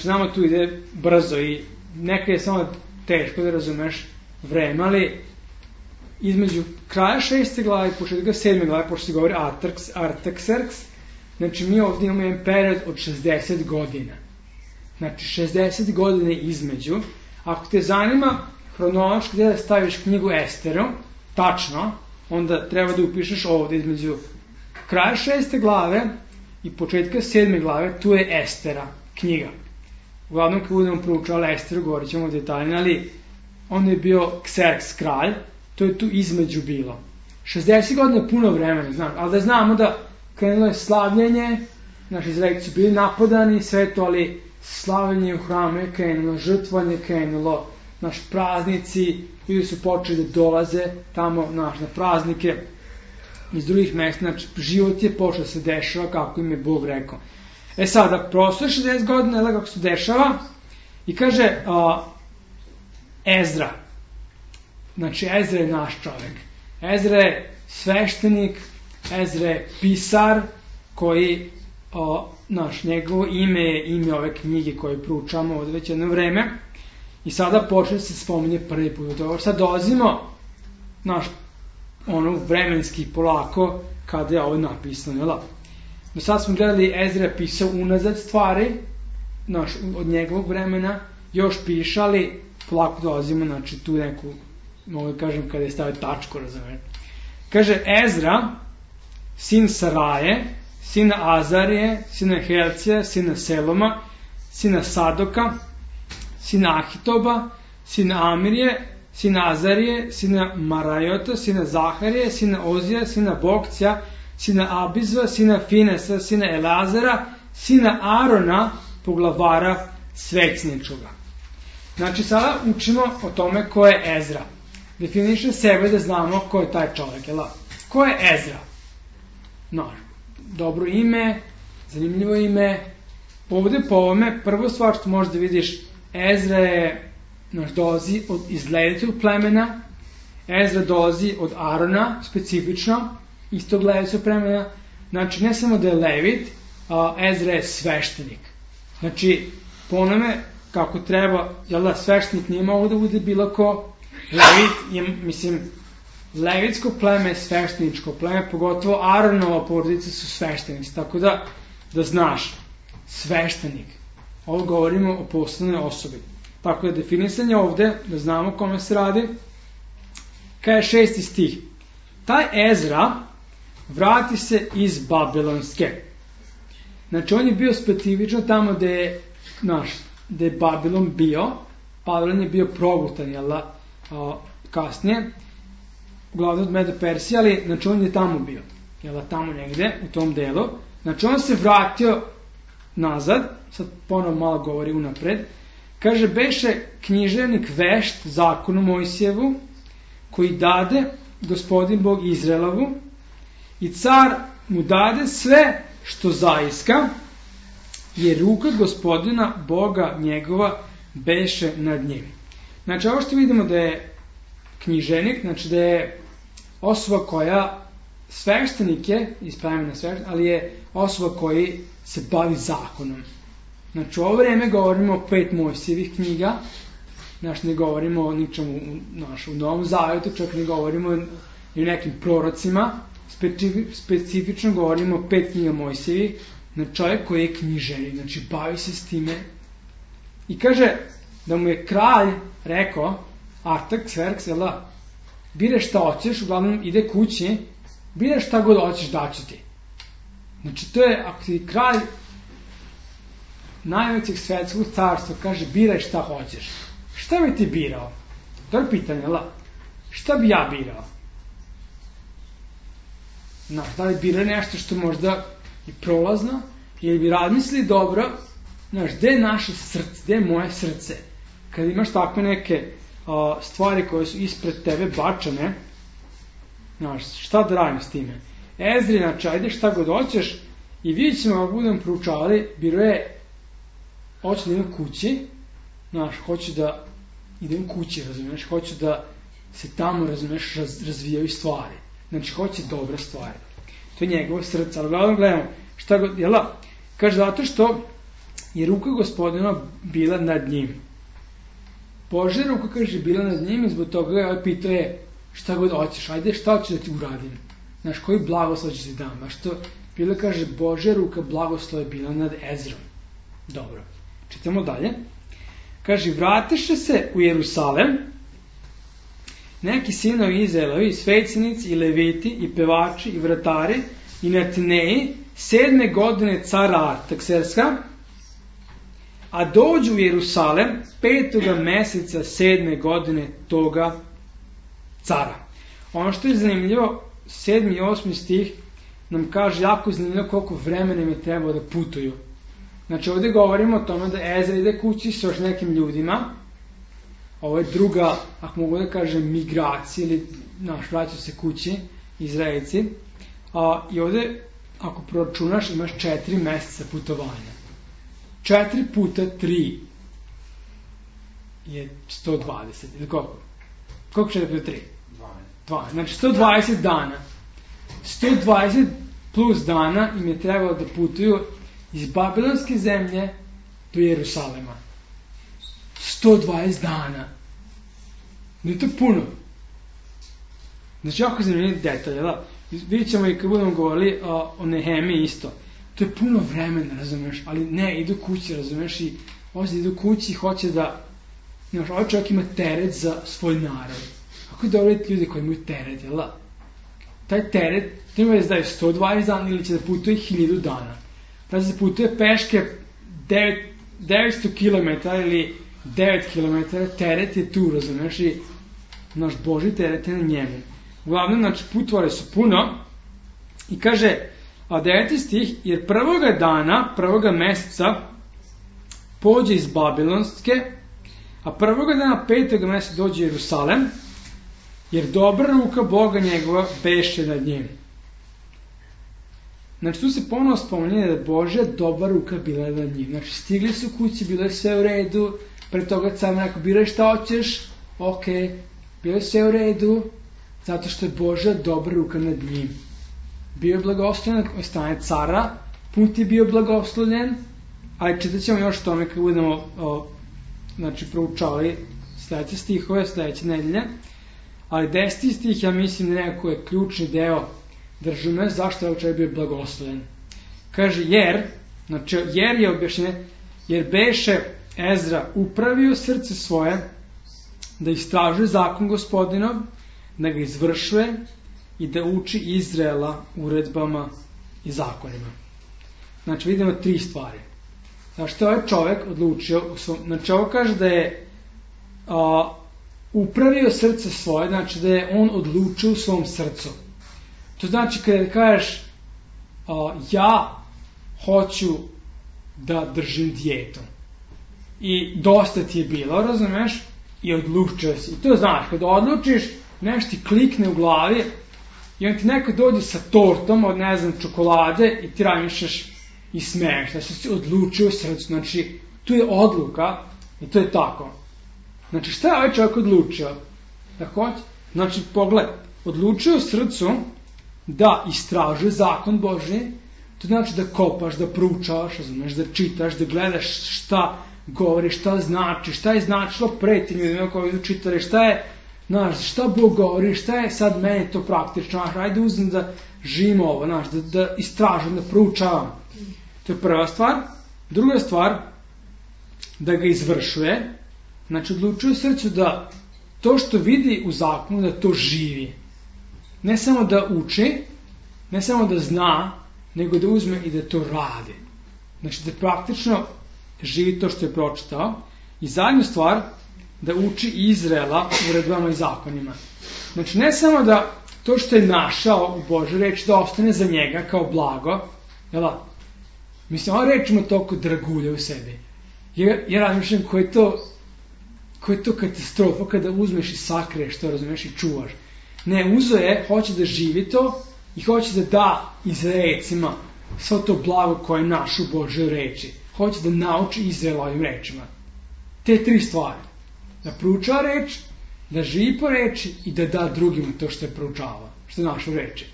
nama tu ide brzo i neka je samo teško da razumeš vreme, ali između kraja 6. glave i početka 7. glave, pošto se govori Artakserks, mi ovdje imamo jedan period od 60 godina. 60 godina između. Ako te zanima hronološki da staviš knjigu Esteru, tačno, onda treba da upišeš ovdje između kraja 6. glave i početka 7. glave, tu je Estera, knjiga. Uglavnom, kad budemo proučavali Esteru, govorit ćemo detaljno, ali on je bio Kserks kralj, to je tu između bilo. 60 godina je puno vremena, ali da znamo da krenulo je slavljenje, naši Izraelci su bili napadani, sve to, ali slavljenje u hramu je krenulo, žrtvanje je krenulo, praznici, ljudi su počeli da dolaze tamo na praznike iz drugih mesta, život je počeo da se dešava kako im je Bog rekao. Sada, prosto je 60 godina, kako se dešava, i kaže Ezra. Ezra je naš čovjek. Ezra je sveštenik, Ezra je pisar, koji, njegovo ime je ime ove knjige koje proučamo ovdje već jedno vreme, i sada počne se spominje prvi put. Sad dolazimo, vremenski polako, kada je ovo napisano, jel? Do sad smo gledali, Ezra je pisao unazad stvari, od njegovog vremena, još piše, ali polako dolazimo, tu neku, mogu da kažem, kada je stavio tačku, razumete. Kaže, Ezra, sin Saraje, sina Azarije, sina Helcija, sina Seloma, sina Sadoka, sina Ahitoba, sina Amirije, sina Azarije, sina Marajota, sina Zaharije, sina Ozija, sina Bokcija, sina Abizva, sina Finesa, sina Elazara, sina Arona, poglavara svećničkoga. Sada učimo o tome ko je Ezra. Definiše sebe da znamo ko je taj čovjek. Ko je Ezra? Dobro ime, zanimljivo ime. Ovdje po ovome, prvo stvar što možeš da vidiš, Ezra je, dolazi iz Levitog plemena, Ezra dolazi od Arona, specifično, iz tog Levitog plemena. Ne samo da je Levit, Ezra je sveštenik. Po onome kako treba, sveštenik nije mogo da bude bilo ko. Levit je, Levitsko pleme je svešteničko pleme, pogotovo Aronova porodica su sveštenici, tako da znaš, sveštenik. Ovo govorimo o posebnoj osobi. Tako da definisanje ovde, da znamo kome se radi, kaže 6. stih. taj Ezra vrati se iz Babilonske. Znači, on je bio specifično tamo gde je Babilon bio. Babilon je bio progutan, jel da, kasnije, uglavnom od Medo Persije, ali znači on je tamo bio, jel da, tamo negde, u tom delu. Znači, on se vratio nazad, sad ponovo malo govori unapred, kaže, beše književnik vešt zakonu Mojsijevu, koji dade gospodin Bog Izraelovu, i car mu dade sve što zaiska, jer ruka gospodina Boga njegova beše nad njim. Znači, ovo što vidimo da je knjiženik, znači da je osoba koja sveštenik je, ispravljena sveštenik, ali je osoba koji se bavi zakonom. Znači, u ovo vreme govorimo o 5 Mojsijevih knjiga, znači ne govorimo o ničemu u Novom Zavetu, čak ne govorimo i o nekim prorocima, specifično govorimo o 5 knjiga Mojsijevih, znači čovjek koji je knjiženik, znači bavi se s time. I kaže da mu je kralj rekao, Artaxerxes, biraj šta hoćeš, uglavnom ide kući, biraj šta god hoćeš, daću ti. Znači, to je, ako ti kralj najvećeg svetskog carstva kaže, biraj šta hoćeš. Šta bi ti birao? To je pitanje, šta bi ja birao? Da li birao nešto što možda je prolazno, ili bi razmislili dobro, gde je naše srce, gde je moje srce? Kad imaš takve neke stvari koje su ispred tebe bačane, šta da radim s time? Ezri, znači, ajde šta god hoćeš, i vidjet ćemo, ako budemo proučavali, biro je, hoću da idem kući, hoću da idem kući, razumiješ, hoću da se tamo, razumiješ, razvijaju stvari. Znači, hoće dobre stvari. To je njegovo srce, ali gledamo, šta god, kaže, zato što je ruka gospodina bila nad njim. Božja ruka, kaže, bila nad njim, i zbog toga je pitao je, šta god hoćeš, ajde, šta hoćeš da ti uradim? Znaš, koji blagoslov ćeš ti dam? A što, bilo kaže, Božja ruka blagoslova je bila nad Ezrom. Dobro, čitamo dalje. Kaže, vratiše se u Jerusalem neki sinovi Izraelovi, svećenici i leviti i pevači i vratari i Netineji 7. godine cara Artaxerxesa, a dođu u Jerusalem 5. meseca 7. godine toga cara. Ono što je zanimljivo, 7. i 8. stih nam kaže jako zanimljivo koliko vremena im je trebalo da putuju. Znači, ovdje govorimo o tome da Ezra ide kući s još nekim ljudima. Ovo je druga, ako mogu da kažem, migracija, ili vraćaju se kući, Izraelci. I ovdje, ako proračunaš, imaš 4 meseca putovanja. 4 puta 3 je 120, ili koliko? Koliko 4 puta 3? 12. Znači, 120 dana. 120 plus dana im je trebalo da putuju iz Babilonske zemlje do Jerusalema. 120 dana. Nije to puno. Znači, jako zanimljiv detalj, vidjet ćemo i kad budemo govorili o Nehemiji isto. To je puno vremena, razumeš, ali ne, idu kući, razumeš, i ovdje idu kući i hoće da, ovaj čovjek ima teret za svoj narod. Kako je dobro ljudi koji imaju teret, taj teret, treba da je 120 dana ili će da putuje 1000 dana. Da se putuje peške 900 km ili 9 km, teret je tu, razumeš, i naš Boži teret je na njemu. Uglavnom, znači, putovali su puno i kaže, a 9. stih, jer prvoga dana, prvoga meseca, pođe iz Babilonske, a prvoga dana 5. meseca dođe u Jerusalem, jer dobra ruka Boga njegova beše nad njim. Znači, tu se ponovo spominje da je Božja dobra ruka bila nad njim. Znači, stigli su kući, bilo je sve u redu, pre toga car rekao, biraj šta hoćeš, ok, bilo je sve u redu, zato što je Božja dobra ruka nad njim. Bio je blagoslovljen od strane cara, put je bio blagoslovljen, ali čitat ćemo još tome kad budemo proučavali sljedeće stihove, sljedeće nedelje. Ali 10. stih, ja mislim, nekako je ključni deo držume, zašto je čovjek bio blagoslovljen. Kaže, jer je objašnjenje, jer beše Ezra upravio srce svoje, da istražuje zakon gospodinov, da ga izvršuje, i da uči Izraela uredbama i zakonima. Znači vidimo 3 stvari. Zašto je ovaj čovjek odlučio, znači ovo kaže da je upravio srce svoje, znači da je on odlučio u svom srcu. To znači kada kažeš ja hoću da držim dijetu i dosta ti je bilo, razumeš, i odlučio si. I to znaš, kada odlučiš, nešto ti klikne u glavi i on ti neko dođe sa tortom od, ne znam, čokolade i ti razmišljaš i smeješ, da si odlučio u srcu. Znači, tu je odluka i to je tako. Znači, šta je ovaj čovjek odlučio? Da hoće? Znači, pogledaj, odlučio u srcu da istražuje zakon Božji, to znači da kopaš, da proučavaš, razumeš, da čitaš, da gledaš šta govori, šta znači, šta je značilo pre tim ljudima koji su čitali, šta je, znaš, šta Bog govori, šta je sad meni to praktično, ajde uzmem da živim ovo, znaš, da istražujem, da proučavam. To je prva stvar. Druga stvar, da ga izvršuje, znači odlučuje u srcu da to što vidi u zakonu, da to živi. Ne samo da uči, ne samo da zna, nego da uzme i da to radi. Znači da praktično živi to što je pročitao. I zadnju stvar, da uči Izraela uredbama i zakonima. Znači ne samo da to što je našao u Božoj reči da ostane za njega kao blago, jel da? Mislim, ova reč ima toliko dragulja u sebi. Ja razmišljam ko je to katastrofa kada uzmeš i sakriješ to, razumeš, i čuvaš. Ne, uzo je, hoće da živi to i hoće da da Izraelcima svo to blago koje je naš u Božoj reči. Hoće da nauči Izraela ovim rečima. Te 3 stvari. Da proučava reč, da živi po reči i da da drugima to što je proučava, što je našu reči.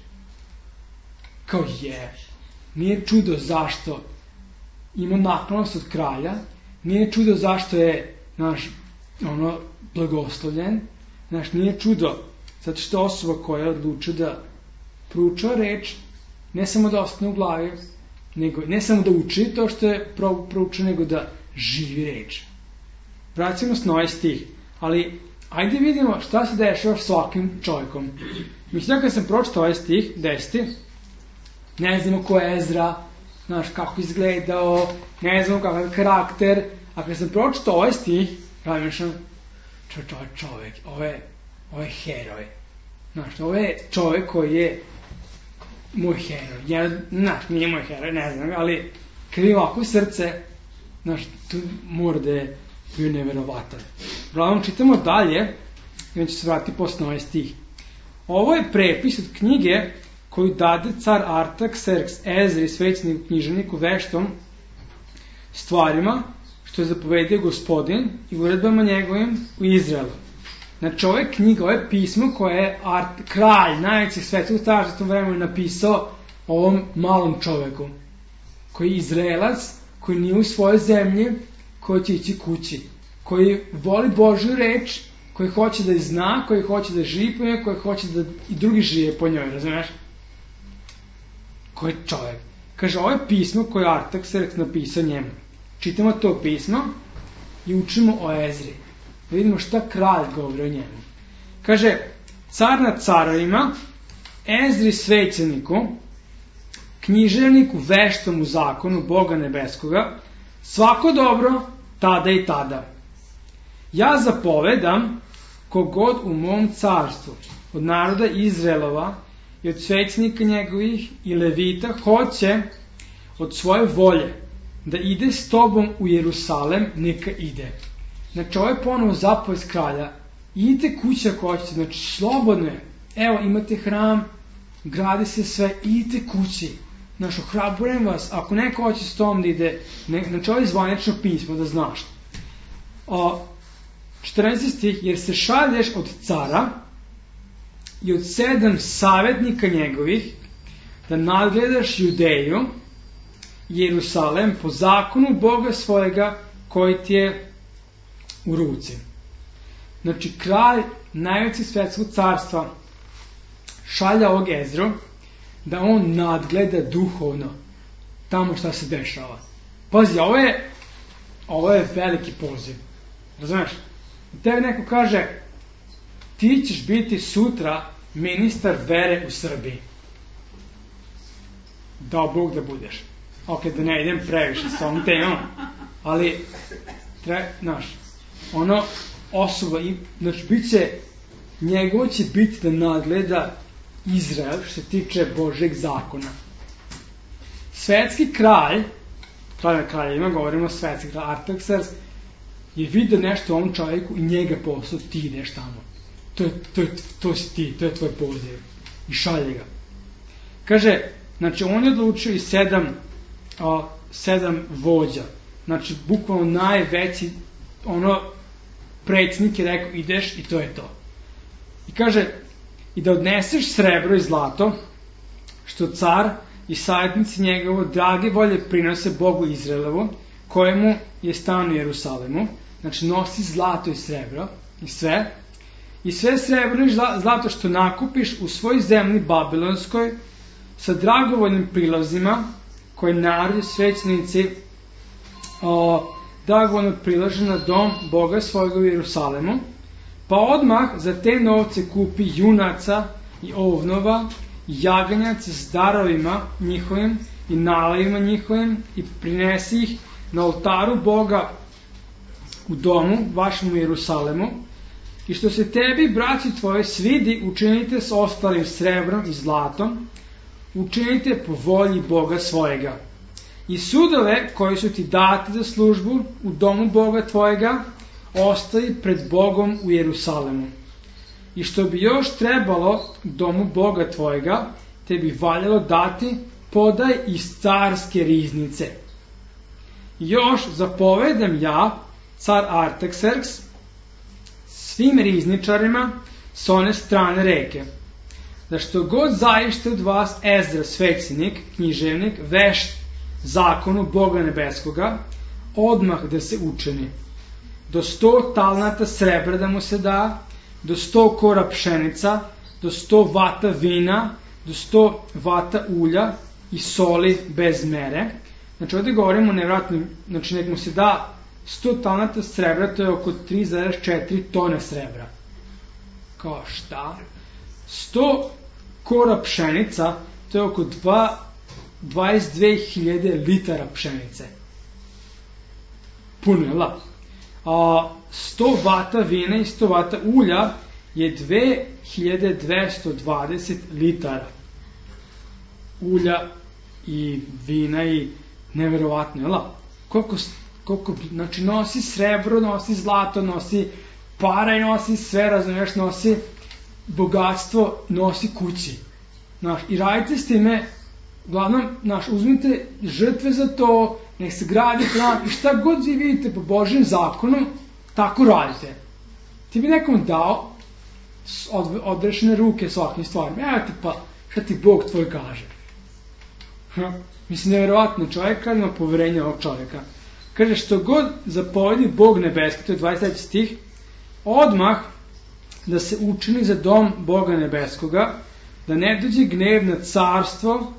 Kao nije čudo zašto ima naklonost od kralja, nije čudo zašto je naš blagoslovljen, nije čudo zato što osoba koja je odlučila da proučava reč, ne samo da ostane u glavi, ne samo da uči to što je proučio, nego da živi reč. Vracimo se na ovaj stih, ali ajde vidimo šta se dešava s svakim čovjekom. Mislim da kad sam pročitao ovaj stih, 10, ne znamo ko je Ezra, znaš kako izgledao, ne znamo kakav karakter, a kad sam pročitao ovaj stih, razmišljam, čovjek, ovo je heroj. Znaš, ovo je čovjek koji je moj heroj. Znaš, nije moj heroj, ne znam, ali kad je ovako srce, znaš, tu mora da je bio neverovatan. Uglavnom, čitamo dalje, i on će se vratiti posle ovaj stih. Ovo je prepis od knjige koju dade car Artaxerks Ezri, svećeniku, književniku, veštom stvarima, što je zapovedio Gospodin i uredbama njegovim u Izraelu. Znači, ovo je knjiga, ovo je pismo koje je kralj, najveći svetskog carstva u tom vremenu napisao ovom malom čoveku, koji je Izraelac, koji nije u svojoj zemlji, koji će ići kući, koji voli Božju reč, koji hoće da je zna, koji hoće da živi po njoj, koji hoće da i drugi žive po njoj, razumiješ? Koji je čovjek? Kaže, ovo je pismo koje je Artaxerks napisao njemu. Čitamo to pismo i učimo o Ezri. Da vidimo šta kralj govori o njemu. Kaže, car nad carovima, Ezri svećeniku, književniku, veštom u zakonu Boga nebeskoga, svako dobro tada i tada. Ja zapovedam kogod u mom carstvu, od naroda Izraelova i od svećenika njegovih i levita, hoće od svoje volje da ide s tobom u Jerusalem, neka ide. Znači, ovo je ponovo zapovest kralja. Idite kući ako hoćete, znači slobodno je. Evo, imate hram, gradi se sve, idite kući. Znači, ohrabrujem vas, ako neko hoće s tom da ide, znači ovo je zvanično pismo, da znaš. 14. stih, jer se šalješ od cara i od 7 savjetnika njegovih, da nadgledaš Judeju, Jerusalem, po zakonu Boga svojega, koji ti je u ruci. Znači, kralj najveći svetskog carstva šalja ovog Ezru da on nadgleda duhovno tamo šta se dešava. Pazi, ovo je veliki poziv. Razumeš? Tebi neko kaže, ti ćeš biti sutra ministar vere u Srbiji. Dao Bog da budeš. Ok, da ne idem previše s ovom temom, ali osoba, znači bit će, njegovo će biti da nadgleda Izrael što se tiče Božeg zakona. Svetski kralj, kraljevima, govorimo svetski kralj Artaxerxes, je vidio nešto u ovom čovjeku i njega poslao, ti ideš tamo. To si ti, to je tvoj poziv. I šalje ga. Kaže, znači on je odlučio i 7 vođa. Znači, bukvalno najveći, predsjednik je rekao, ideš i to je to. I kaže, i da odneseš srebro i zlato, što car i savjetnici njegovo drage volje prinose Bogu Izraelovu, kojemu je stan u Jerusalemu. Znači, nosi zlato i srebro i sve. I sve srebro i zlato što nakupiš u svoj zemlji Babilonskoj sa dragovoljnim prilozima koje narod i svećenici dragovoljno prilaže na dom Boga svojega u Jerusalemu, pa odmah za te novce kupi junaca i ovnova i jaganjaca s darovima njihovim i nalajima njihovim i prinesi ih na oltaru Boga u domu vašem u Jerusalemu. I što se tebi, braći tvoje, svidi, učinite s ostalim srebrom i zlatom, učinite po volji Boga svojega. I sudove koji su ti dati za službu u domu Boga tvojega, ostavi pred Bogom u Jerusalemu. I što bi još trebalo domu Boga tvojega, te bi valjalo dati, podaj iz carske riznice. I još zapovedam ja, car Artaxerxes, svim rizničarima s one strane reke, da što god zaište od vas Ezra, svećenik, književnik, vešt zakonu Boga nebeskoga, odmah da se učini. Do 100 talnata srebra da mu se da, do 100 kora pšenica, do 100 vata vina, do 100 vata ulja i soli bez mere. Znači ovdje govorimo nevratno, znači nek mu se da 100 talnata srebra, to je oko 3,4 tone srebra. Kao šta? 100 kora pšenica, to je oko 22.000 litara pšenice. Puno je la. 100 vata vina i 100 vata ulja je 2220 litara. Ulja i vina i neverovatno je la. Koliko, znači nosi srebro, nosi zlato, nosi para i nosi sve, razumiješ, nosi bogatstvo, nosi kući. I radite s time, uglavnom, uzmite žrtve za to, nek se gradi plan i šta god vi vidite po Božjem zakonu, tako radite. Ti bi nekom dao odrešene ruke s ovakvim stvarima. Evo ti pa, šta ti Bog tvoj kaže. Mislim, nevjerovatno, čovjek ima poverenje ovog čovjeka. Kaže, što god zapovedi Bog nebeski, to je 23. stih, odmah da se učini za dom Boga nebeskoga, da ne dođe gnev na carstvo,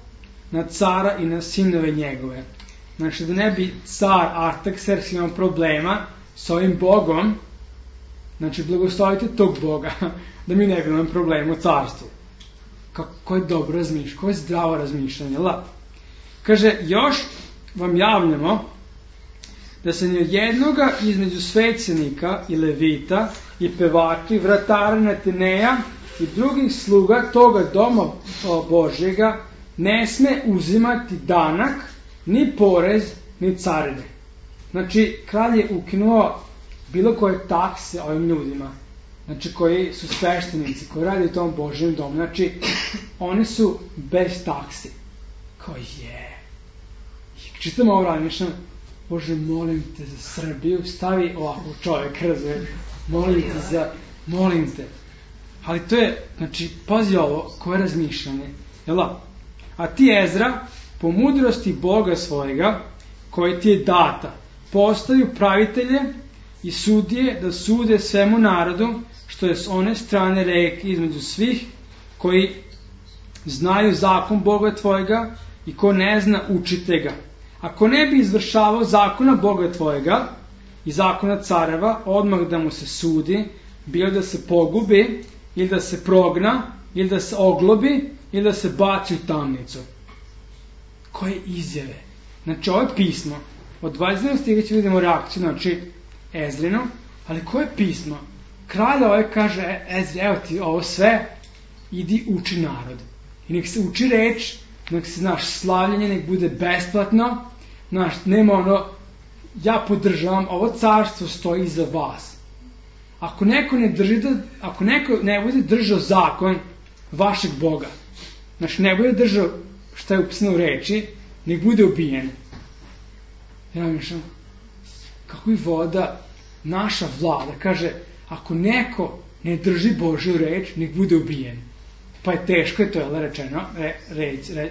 na cara i na sinove njegove. Znači, da ne bi car Artaxerxes imao problema s ovim Bogom, znači, blagoslovite tog Boga, da mi ne bi imamo problema u carstvu. Kako je dobro razmišljanje, kako je zdravo razmišljanje, la. Kaže, još vam javljamo da se ni od jednoga između svećenika i levita i pevači, vratara Neteneja i drugih sluga toga doma Božjega ne sme uzimati danak, ni porez, ni carine. Znači, kralj je ukinuo bilo koje takse ovim ljudima, znači koji su sveštenici, koji radi u tom Božjem domu. Znači, oni su bez taksi. Kao je. Čitam ovo razmišljam, Bože, molim te za Srbiju, stavi ovako čovjek, razumije, molim te. Ali to je, znači, pazi ovo, koje razmišljanje, jel' a ti Ezra, po mudrosti Boga svojega, koji ti je data, postaju pravitelje i sudije da sude svemu narodu, što je s one strane reke između svih koji znaju zakon Boga tvojega i ko ne zna, učite ga. Ako ne bi izvršavao zakona Boga tvojega i zakona careva, odmah da mu se sudi, bilo da se pogubi ili da se progna ili da se oglobi, ili da se baci u tamnicu. Koje izjave? Znači, ovo je pismo. Od 22. stiha ćemo vidimo reakciju, znači, Ezrinu, ali koje pismo? Kralj ovaj kaže, Ezri, evo ti ovo sve, idi uči narod. I nek se uči reč, nek se, slavljenje nek bude besplatno, nema ja podržavam, ovo carstvo stoji iza vas. Ako neko ne bude držao zakon vašeg Boga, ne bude držao šta je upisano u reči, nek bude ubijen. Ja mišljam, kako i voda, naša vlada kaže, ako neko ne drži Božju reč, nek bude ubijen. Pa je teško, je to rečeno,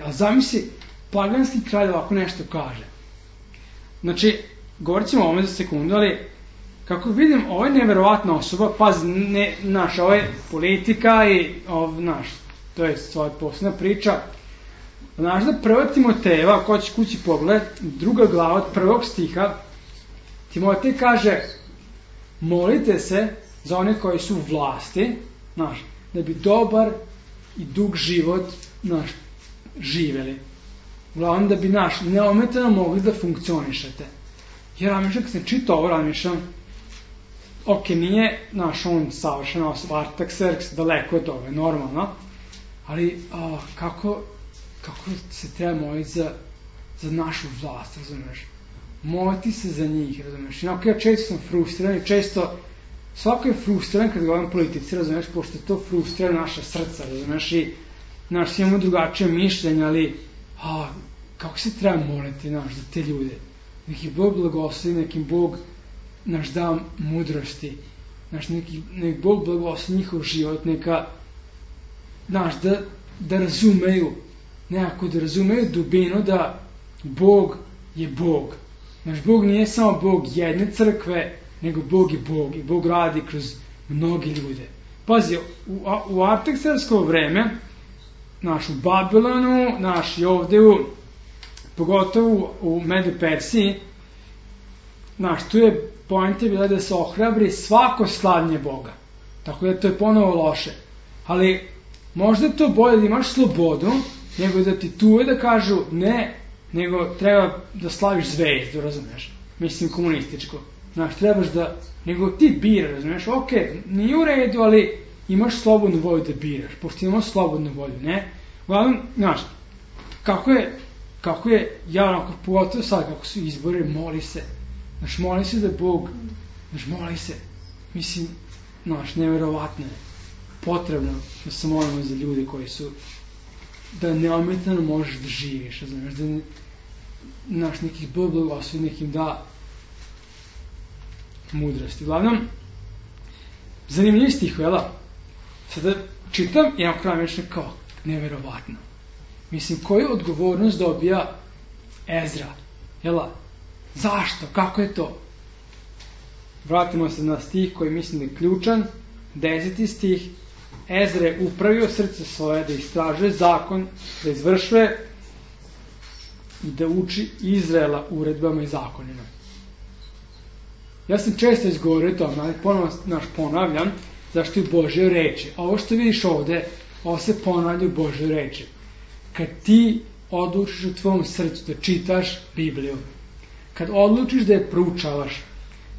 a zamisli, paganski kralj ovako nešto kaže. Znači, govorit ćemo o ovome za sekundu, ali kako vidim, ovo je neverovatna osoba, pazi, ovo je politika i to je svoja posebna priča. Da prvo Timotejeva, ako hoće kući pogled, 2. glava od 1. stiha, Timotej kaže, molite se za one koji su u vlasti, da bi dobar i dug život živeli. Uglavnom da bi neometano mogli da funkcionišete. Jer razmišljam, kad sam čitao ovo, razmišljam, nije on savršena osoba, Artaxerxes, daleko od toga, normalno, ali kako se treba moliti za našu vlast, razumiješ? Moliti se za njih, razumiješ? Ja često sam frustriran i svako je frustriran kad govorim politici, razumiješ, pošto to frustrira naša srca, razumiješ, i imamo drugačije mišljenje, ali kako se treba moliti, za te ljude? Nek ih Bog blagoslovi, nek im Bog da mudrosti, nek Bog blagoslovi njihov život, neka, da razumeju, nekako da razumeju dubinu da Bog je Bog. Bog nije samo Bog jedne crkve, nego Bog je Bog i Bog radi kroz mnogi ljude. Pazi, u Artaxerxevo vreme, u Babilonu, i ovde pogotovo u Medo-Persiji, tu je poenta bila da se ohrabri svako slavljenje Boga. Tako da to je ponovo loše. Ali možda je to bolje da imaš slobodu, nego da ti tuje da kažu ne, nego treba da slaviš zvezdu, razumiješ? Mislim komunističko. Trebaš da, nego ti bira, razumiješ? Ok, nije u redu, ali imaš slobodnu volju da biraš, pošto imamo slobodnu volju, ne? Uglavnom, kako je, pogotovo sad, kako su izbori, moli se. Moli se da Bog, moli se. Mislim, neverovatno je. Potrebno da se molimo za ljude koji su, da neometano možeš da živiš, razumiješ? Da nekih Bog blagoslovi, nekim da mudrosti. Uglavnom, zanimljiv stih, jela? Sada čitam i na kraju mišljam kao neverovatno. Mislim, koju odgovornost dobija Ezra? Jela? Zašto? Kako je to? Vratimo se na stih koji mislim da je ključan. 10. stih. Ezra je upravio srce svoje da istražuje zakon, da izvršuje i da uči Izraela uredbama i zakonima. Ja sam često izgovorio to, ali ponovno ponavljam, zašto je u Božjoj reči. A ovo što vidiš ovde, ovo se ponavlja u Božjoj reči. Kad ti odlučiš u tvom srcu da čitaš Bibliju, kad odlučiš da je proučavaš,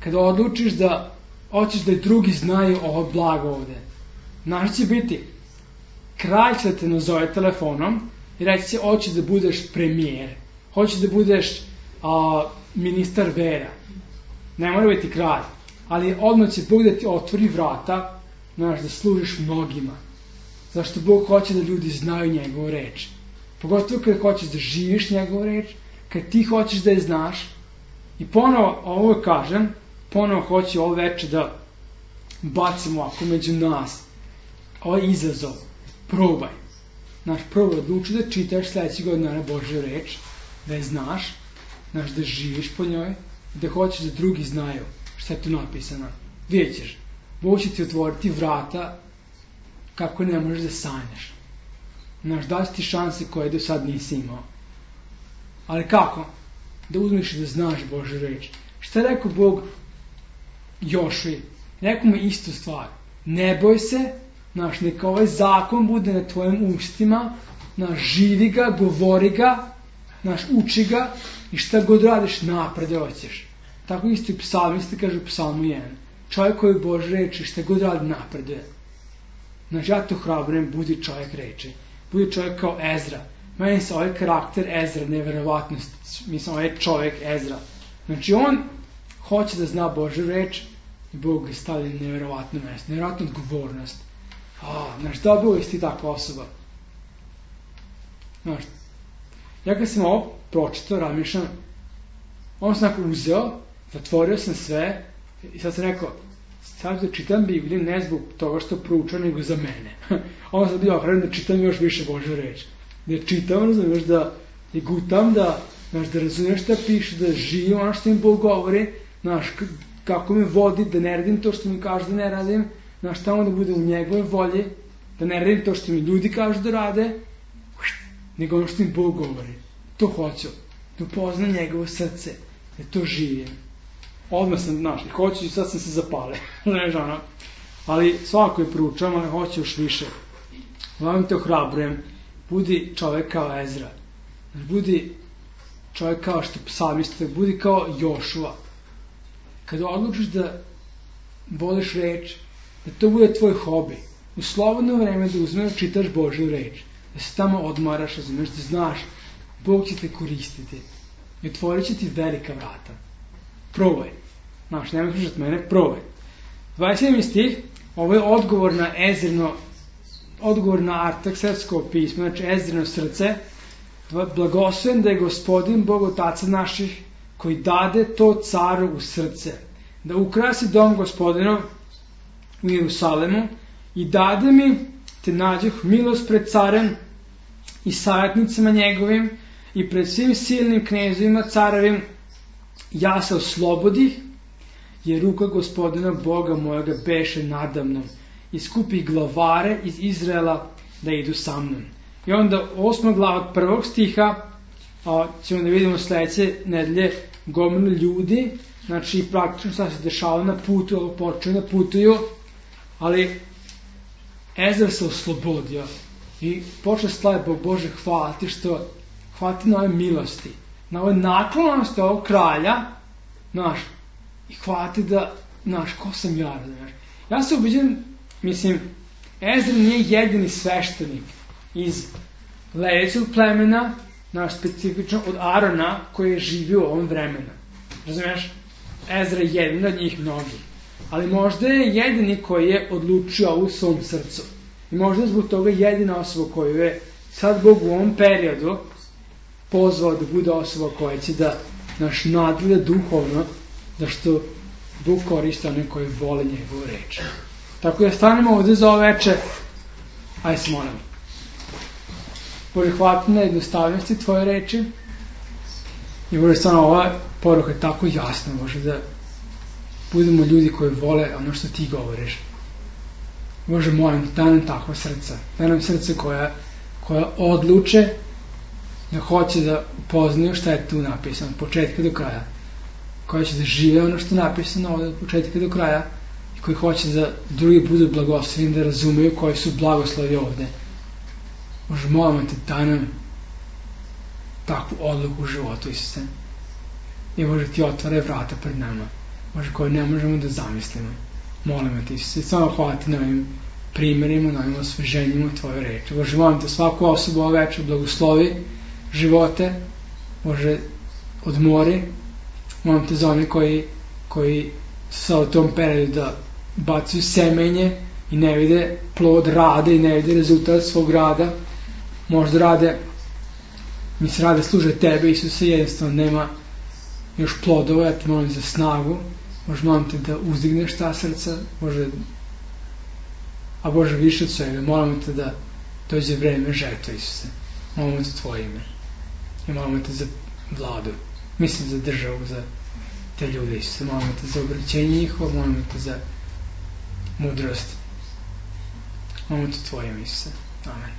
kad odlučiš da hoćeš da i drugi znaju ovo blago ovde, znaš će biti, kralj će da te nazove telefonom i reći će, hoćeš da budeš premijer, hoćeš da budeš ministar vera, ne mora biti kralj, ali odmah će Bog da ti otvori vrata, da služiš mnogima. Zašto Bog hoće da ljudi znaju njegovu reč. Pogotovo kada hoćeš da živiš njegovu reč, kad ti hoćeš da je znaš. I ponovo, ovo kažem, ponovo hoću ovo veče da bacimo ovako među nas. Ovo je izazov. Probaj. Probaj, odluči da čitaš sledeći godina na Božju reč, da je znaš, da živiš po njoj, da hoćeš da drugi znaju šta je tu napisano. Vidjet ćeš, Bog će ti otvoriti vrata kako ne možeš da sanjaš. Daći ti šanse koje do sad nisi imao. Ali kako? Da uzmeš i da znaš Božju reč. Šta je rekao Bog Jošuji? Rekao mu istu stvar. Ne boj se, neka ovaj zakon bude na tvojim ustima, živi ga, govori ga, uči ga i šta god radiš napred hoćeš. Tako isto i psalmisti kaže u psalmu 1. Čovjek koji Bože reči šta god radi napreduje. Ja to hrabrujem, budi čovjek reči. Budi čovjek kao Ezra. Meni se ovaj karakter Ezra neverovatnost. Mislim, ovaj čovjek Ezra. On hoće da zna Božju reč i Bog ga stavlja na neverovatno mesto. Neverovatnu odgovornost. Da bi ti takva osoba? Ja kad sam ovo pročitao, razmišljam, on sam tako uzeo, zatvorio sam sve i sad sam rekao, sad da čitam Bibliju ne zbog toga što proučam, nego za mene. Onda sam bio ohranjen da čitam još više Božju reč. Da je čitam, razumiješ, da je gutam, da razumiješ šta piše, da živim ono što mi Bog govori, kako me vodi, da ne radim to što mi kaže da ne radim, tamo da budem u njegove volji, da ne radim to što mi ljudi kažu da rade, nego ono što mi Bog govori. To hoću, da upoznam njegovo srce, da to živim. Odmah sam, i hoću i sad sam se zapale. Ali svako je proučavam, ali hoću još više. Vam te ohrabrujem, budi čovjek kao Ezra. Budi čovjek kao što psalmista, budi kao Jošua. Kada odlučiš da voliš reč, da to bude tvoj hobi, u slobodno vreme da uzmeš, čitaš Božju reč, da se tamo odmaraš, razumiješ, da znaš, Bog će te koristiti i otvorit će ti velika vrata. Probaj. Nema slušati mene, probaj. 27. stih, ovo je odgovor na Artaksersko pismo, Ezrino srce. Blagosloven da je Gospodin Bog Otaca naših, koji dade to caru u srce, da ukrasi dom Gospodinov u Jerusalemu i dade mi, te nađoh milost pred carem i savjetnicima njegovim i pred svim silnim knezovima carovim, ja se oslobodih, jer ruka Gospodina Boga mojega beše nadamnom i skupi glavare iz Izraela da idu sa mnom. I onda 8. glava od 1. stiha ćemo da vidimo sledeće nedelje gomilu ljudi, praktično šta se dešava na putu, počeo na putuju, ali Ezra se oslobodio i počeo slavi Bog Bože hvaliti hvaliti na ove milosti, na ove naklonosti ovog kralja, i hvaliti da, ko sam ja, razumiješ. Ja se ubeđujem, Ezra nije jedini sveštenik iz Levijskog plemena, specifično od Arona koji je živio u ovom vremenu. Razumiješ? Ezra je jedan od njih mnogi. Ali možda je jedini koji je odlučio u svom srcu. I možda je zbog toga jedina osoba koju je sad Bog u ovom periodu pozvao da bude osoba koja će da nadgleda duhovno, da što Bog koristi one koji vole njegovu reč. Tako da stanemo ovde za ovo veče. Ajde se molimo. Bože, hvala ti na jednostavnosti tvoje reči. I Bože, stvarno ova poruka je tako jasna, Bože, da budemo ljudi koji vole ono što ti govoriš. Bože, molim, daj nam takva srca. Daj nam srce koja odluče da hoće da upoznaju šta je tu napisano, od početka do kraja. Koja će da žive ono što je napisano ovde od početka do kraja i koji hoće da drugi budu blagosloveni, da razumeju koji su blagoslovi ovde. Bože, molim te, daj nam takvu odluku u životu, Isuse. I Bože, ti otvaraj vrata pred nama, Bože, koje ne možemo da zamislimo. Molim te, Isuse, samo hvala ti na ovim primjerima, na ovim osveženjima tvoje reči. Bože, molim te, svaku osobu ove večer blagoslovi živote, Bože, odmori. Molim te za one koji su u tom periodu da bacaju semenje i ne vide plod rada i ne vide rezultat svog rada. Možda rade služe tebe, Isuse, jednostavno nema još plodova. Ja te molim za snagu. Bože, molim te da uzdigneš ta srca, a Bože, više od svega, molimo te da dođe vreme žetve, Isuse. Molimo te tvoje ime i molimo te za vladu, za državu, za te ljude, Isuse. Molimo te za obraćenje njihovo, molimo te za mudrost. Molimo te tvoje ime, Isuse. Amen.